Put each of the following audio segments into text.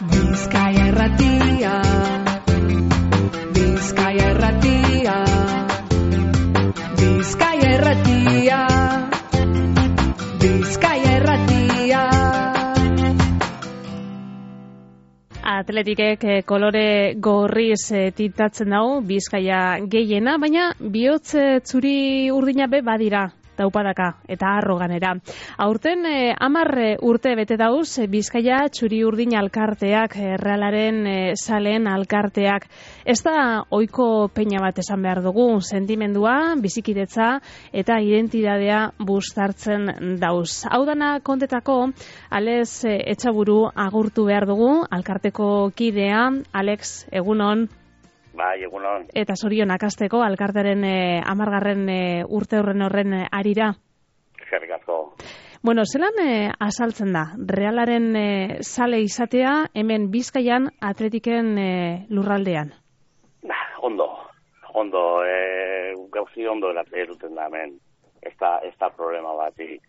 Bizkaia Irratia, Bizkaia Irratia, Bizkaia Irratia, Bizkaia Irratia. Atletikek kolore gorriz tintatzen dago Bizkaia gehiena, baina bihotz zuri urdina be badira daupadaka eta harro ganera. Aurten 10 urte bete dauz Bizkaia txuri urdin alkarteak, Realaren saleen alkarteak. Ez da ohiko peina bat esan behar dugu, sentimendua, bizikidetza eta identitatea bustartzen dauz. Hau dana kontetako Alex Etxaburu agurtu behar dugu, alkarteko kidea. Alex, egunon. Bai, egunon. Eta zorionak hasteko alkartaren 10. Urte horren arira. Eskerrik asko. Bueno, zelan azaltzen da, Realaren sale izatea hemen Bizkaian Atletiken lurraldean? Ondo, gauzi ondo eruten da hemen, ez da problema batik.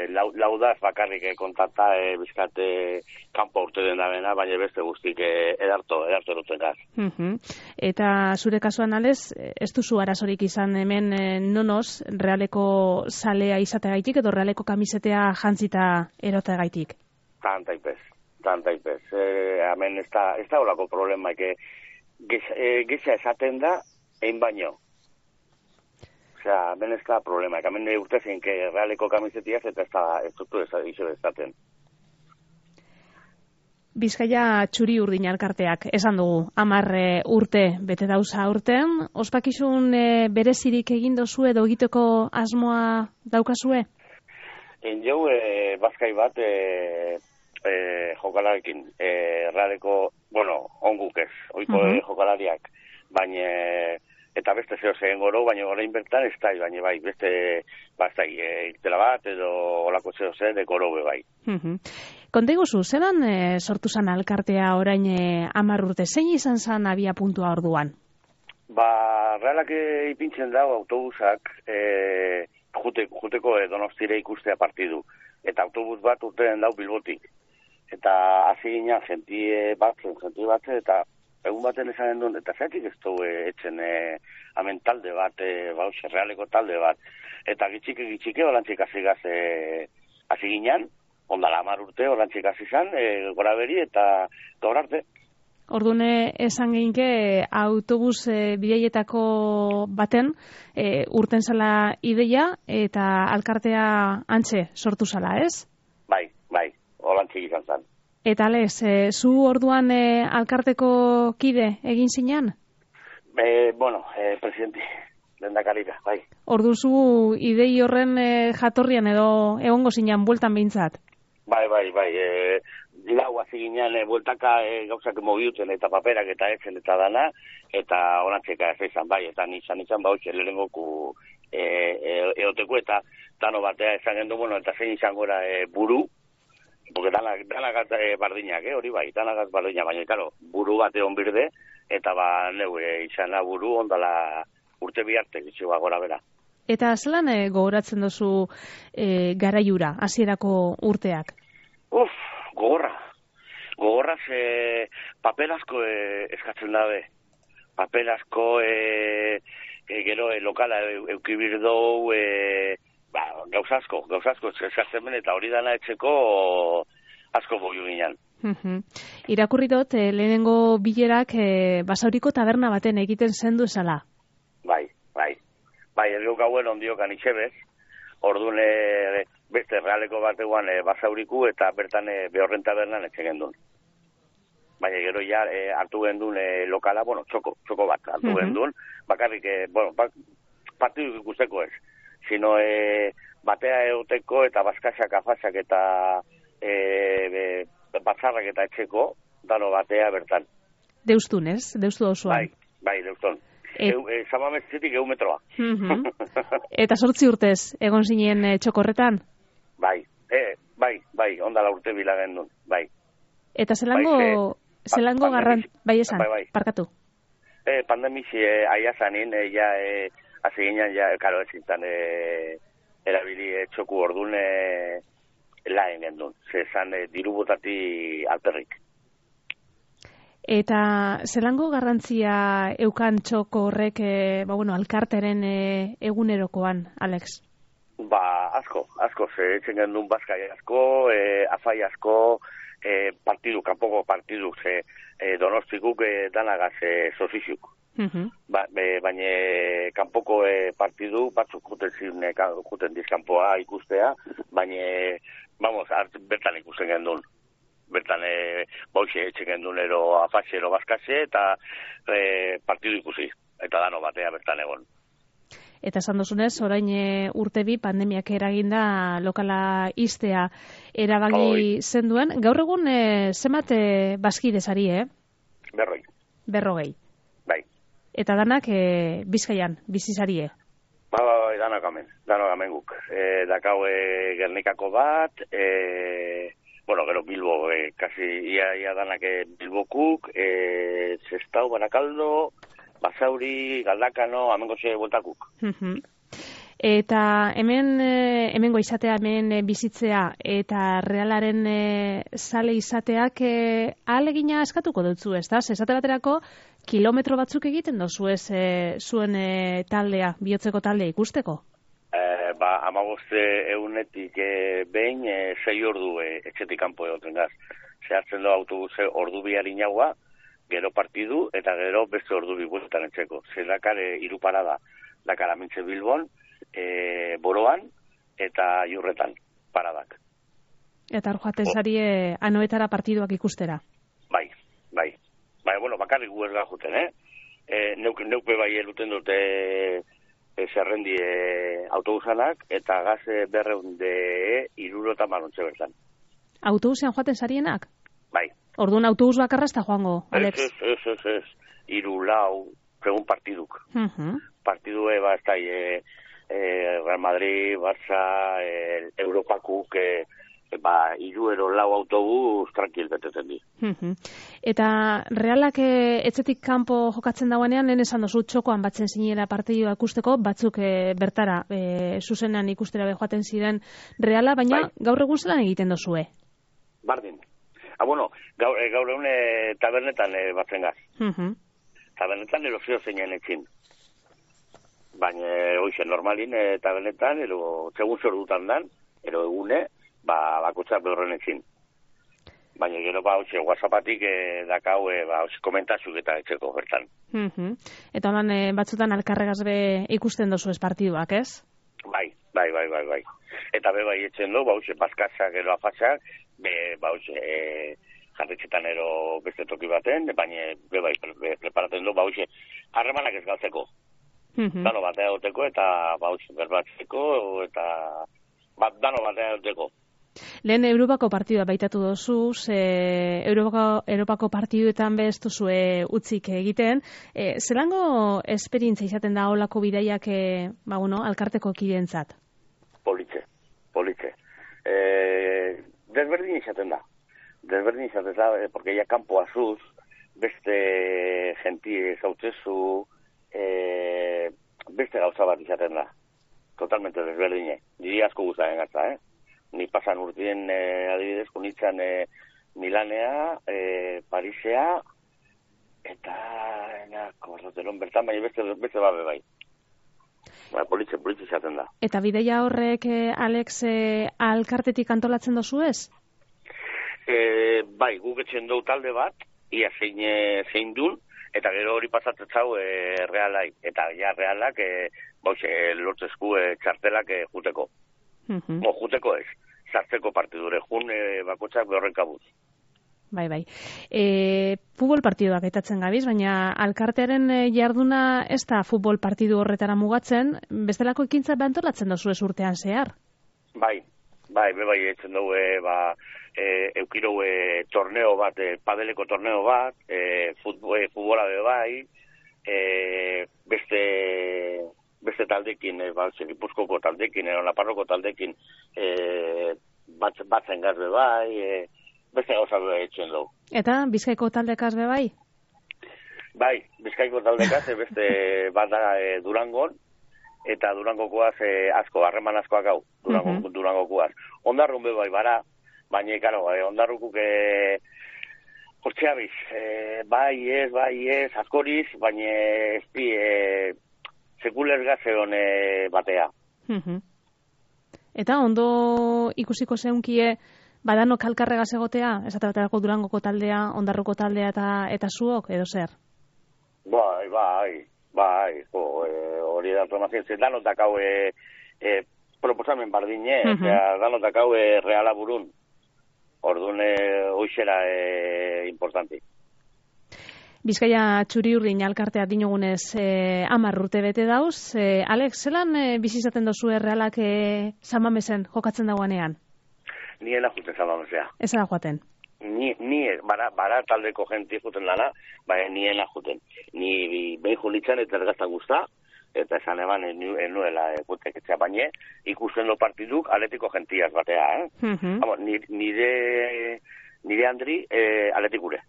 Laudaz bakarrik kontata Bizkate kanpo urte den dabena, baina beste guztik edarto eruten gaz. Eta zure kasuan Alex, ez duzu arazorik izan hemen nonoz Realeko salea izateagaitik edo Realeko kamisetea jantzita eroteagaitik? Tantaipez. Hemen ez da olako problema, geza esaten da, egin baino. Osea, hemen ez da problema, hemen urte zein Realeko kamisetiaz eta ez dutu ezaten. Bizkaia txuri urdin alkarteak, esan dugu, 10 urte bete dauza aurten. Ospakizun berezirik egin dozu edo egiteko asmoa daukazue? Jau, bazkai bat jokalarekin, Realeko, onguk ez, oiko jokalariak, baina eta beste zeo zehen goro, baina orain bertan ez da, baina bai, beste irtela bat edo olako zeo zen goro bai. Konta iguzu, zelan sortu zan alkartea orain 10 urte, zein izan zan abia puntua orduan? Realak ipintzen dago autobusak juteko Donostire ikustea partidu, eta autobus bat urteren dau Bilbotik. Eta hasi gina jentie bat, eta egun baten esan duen, eta zaitik ez du etxen hemen talde bat, Realeko talde bat, eta gitxike olantzik hasi ginen, ondala 10 urte olantzik hasi zan, gora beri eta gaur arte. Ordune esan gehinke autobus bidaietako baten urten zala ideia eta alkartea antxe sortu zala, ez? Bai, olantzik izan zan. Eta Alex, zu orduan alkarteko kide egin zinean? Presidente, lehendakarira, bai. Ordu zu idei horren jatorrian edo egongo zinean bueltan behintzat? Bai. Lau hasi ginean bueltaka gauzak mogiutzen eta paperak eta etzen eta dana, eta orantzeka ez izan, bai, eta nizan bautxe lehenengoku eoteko eta dano batea esan gendu, eta zein izan gora buru, porque danak bardinak, hori bai, danak bardinak, baina, karo, buru bat egon birde, eta neu izana buru ondala urte biharte, gitxua gora bera. Eta zelan gogoratzen duzu garaiura, hasierako urteak? Gogorraz papel asko eskatzen dabe. Papel asko gero lokala eukibir dou, gauz asko eskatzen ben, eta hori dana etxeko asko boiu ginen. Irakurri dut, lehenengo bilerak Basauriko taberna baten egiten zendu esala. Bai, ergeu gauen ondiokan itxebez, orduan beste Realeko bateguan Basauriku eta bertan behorren tabernan etxegen duen. Baina gero ja hartu gendun lokala, txoko bat hartu gendun, bakarrik, partidu ikusteko ez, sino batea euteko eta baskasak, afasak eta batzarrak eta etxeko, dano batea bertan. Deustun, ez? Deustu dauzuan. Bai, deustun. Zamametzetik metroa. Eta 8 urtez egon zinen txokorretan? Bai, ondala urte bilagen duen, bai. Eta zelango garran... Bai esan, parkatu. Pandemizi aia zanin, hasi ginen, karo ez zintan erabili txoku orduan laen gendun, zezan diru botati alperrik. Eta zelango garrantzia eukan txoko horrek, alkarteren egunerokoan, Alex? Asko, ze etxen gendun bazkai asko, afai asko, kanpoko partidu, ze Donostikuk danagaz sozizuk. Baina kanpoko partidu batzuk juten dizkanpoa ikustea, baina, bertan ikusten gendun. Bertan, boixe etxe gendun ero afatxe, ero bazkatxe, eta partidu ikusi, eta dano batea bertan egon. Eta esan duzunez, orain urte bi pandemiak eraginda lokala iztea erabaki zenduen. Gaur egun zenbat bazkidezari, Berrogei. 40. Bai. Eta danak Bizkaian, bizizarie? Danak amen guk. Dakau Gernikako bat, gero Bilbo, kasi ia danak Bilbokuk, Zestau, Barakaldo, Basauri, Galdakano, amengo xe bueltakuk. Eta hemengo izatea, hemen bizitzea, eta Realaren zale izateak ahalegina eskatuko dutzu, ez da? Esate baterako, kilometro batzuk egiten dozu ez zuen taldea, bihotzeko taldea ikusteko? 15 egunetik behin 6 ordu etxetik kanpo egoten gaz. Zehartzen du autobuse ordu biari inaua, gero partidu, eta gero beste ordu biguetan etxeko. Zer dakar 3 parada, dakar Amintze Bilbon, Boroan, eta Iurretan, paradak. Eta hor joaten zari anoetara partiduak ikustera? Bai. Bakarrik gu ez gajuten, Neupe bai eluten dute zerrendi autobusanak, eta gaz 200 manontxe bertan. Autobusean joaten zarienak? Bai. Orduan autobus bakarra ez da joango, Alex? Ez. 3-4, segun partiduk. Partidue, ez da, Real Madrid, Barça, Europakuk, 3-4 autobus tranquil beteten di. Eta Realak etxetik kanpo jokatzen dauanean, lehen esan dozu txokoan batzen zinela partidua ikusteko, batzuk bertara zuzenean ikustera joaten ziren Reala, baina gaur egun zelan egiten dozue? Bardin. Gaur egun tabernetan batzen gaz. Tabernetan erozio zeinen etxin. Baina, normalin tabernetan, segun zer dutan dan, egune, bakotxak behorren etxin. Baina gero WhatsAppatik dakau komentazuk eta etxeko bertan. Eta holan batzutan alkarregaz be ikusten dozu ez partiduak, ez? Bai. Eta bai etxen du, bazkatzak ero afatxak, jarretxetan ero beste toki baten, baina bai preparaten du, harremanak ez galtzeko. Dano batea egoteko eta berbatzeko, eta dano batea egoteko. Lehen Europako partidua baitatu dozu, Europako partiduetan bez duzue utzik egiten. Zelango esperientzia izaten da olako bidaiak alkarteko kideentzat? Politxe. Desberdin izaten da, porque ya kanpo azuz, beste genti zautzezu, beste gauza bat izaten da. Totalmente desberdine. Diri asko guztaren gatza, Ni pasan urtien adibidez, kunitzan Milanea, Parisea, eta Korroteron bertan, baina beste babe bai. Politxe izaten da. Eta bideia horrek, Alex, alkartetik antolatzen dozu ez? Bai, guk etxen dut talde bat, ia zein dun, eta gero hori pasatzen zau Realai. Eta ja Realak lortzezku txartelak juteko. Juteko ez, sartzeko partidure, bakotxak behorren kabuz. Bai. Futbol partiduak aitatzen gabiz, baina alkartearen jarduna ez da futbol partidu horretara mugatzen, bestelako ekintza behantolatzen dozu ez urtean zehar? Bai, etzen dugu, eukiro torneo bat, padeleko torneo bat, futbola bai, beste taldekin, Gipuzkoko taldekin, Nafarroko taldekin, batzen gazbe bai, beste gauza etxen dugu. Eta Bizkaiko taldekaz be bai? Bai, Bizkaiko taldekaz, beste bat da Durangon, eta Durangokoaz asko, harreman askoak hau, Durangokoaz. Ondarrun be bai bara, baina, karo, ondarrukuk hortxeabiz, bai ez, askoriz, baina ez di, sekulez gazeon batea. Eta ondo ikusiko zeunkie, badano kalkarregaz egotea, esaterako Durangoko taldea, Ondarruko taldea eta zuok, edo zer? Bai, hori da informazioa, danotak hau proposamen bardine, danotak hau reala burun, orduan hoxera importanti. Bizkaia Txuri-Urdin alkartea dinogunez 10 urte bete dauz. Alex, zelan bizizaten dozu Realak Samamesen jokatzen dagoanean? Ni ena juten Samamesea. Ez da joaten? Ni bara taldeko jenti juten lana, baina ni ena juten. Ni behin julitzen eta ergaztan guzta, eta esan eban enuela guteketzea, baina ikusten do partiduk atletiko gentiaz batea, nire Andri atletikure.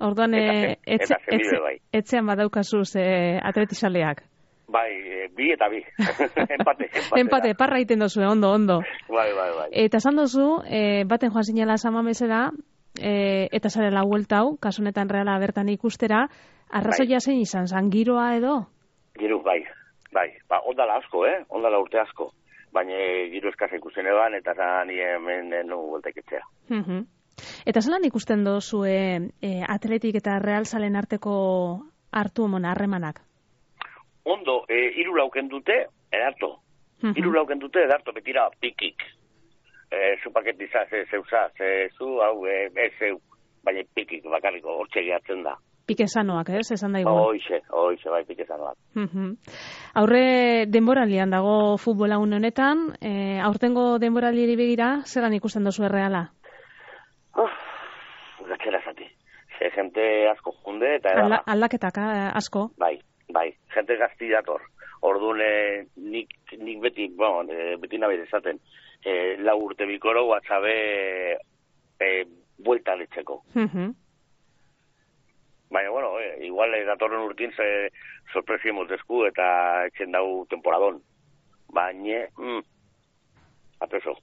Orduan, etzean badaukazuz atletizaleak. Bai, bi eta bi. Empate. Empate, parra iten dozu, ondo. Bai. Eta esan dozu, baten joan zinela Samamesera, eta zarela hueltau, kasunetan Reala bertan ikustera, arrazoia zein izan, giroa edo? Giro, bai. Ba, ondala asko, ondala urte asko. Baina giro eskasa ikusten eban, eta zani hemen nugu huelteketzea. Eta zelan ikusten dozu Atletik eta Real Zalen arteko hartu harremanak? Ondo, 3 lauken dute, edarto. 3 lauken dute, edarto, betira pikik. Zu paketizaz, zeuzaz, zu, hau, zeu, baina pikik, bakarriko, hortxe gehatzen da. Pike sanoak, esan daigun? Hoize, bai, pike sanoak. Aurre denboralian dago futbola honetan, aurtengo denboralieri begira, zelan ikusten dozu Reala? Gatxera zati. Gente asko junde eta edala. Aldaketak asko? Bai. Gente gazti dator. Orduan nik beti, beti nabez esaten, 4 urte bikoro WhatsAppe buelta letzeko. Baina, igual datorren urtin sorpresi motesku eta etxen dau temporadon. Baina, apreso.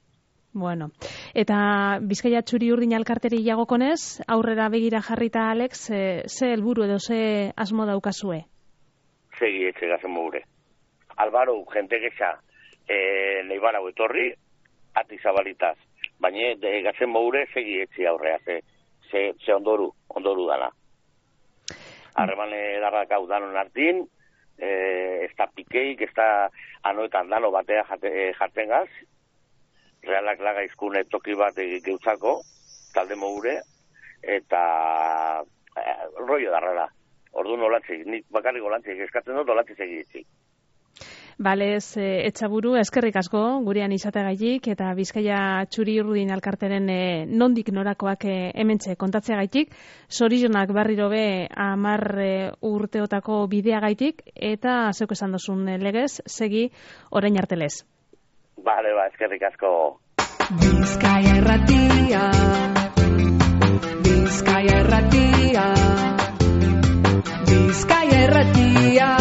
Bueno, eta Bizkaia Txuri-Urdin alkarteri jagokonez, aurrera begira jarrita Alex, ze helburu edo ze asmo daukazue? Segi etxe gazen mogure. Albaro, jente gexa, leibara etorri, ati zabalitaz. Baina gazen mogure segi etxe aurrea, ze ondoru dana. Harreman edarrak hau danon hartin, ez da pikeik, ez da anoetan dano batea jartzen gaz, Realak laga izkune toki bat geutzako, talde mogure, eta rollo darrera. Orduan olantzik, nik bakarrik olantzik eskatzen dut, olantzik egitzik. Balez, etxaburu, eskerrik asko, gurean izateagaitik, eta Bizkaia Txuri-Urdin alkarteren nondik norakoak hementxe kontatzeagaitik, zorionak barriro be 10 urteotako bideagaitik, eta zeuk esan dozun legez, segi orain artelez. Bale, eskerrik asko. Bizkaia Irratia, Bizkaia Irratia, Bizkaia Irratia.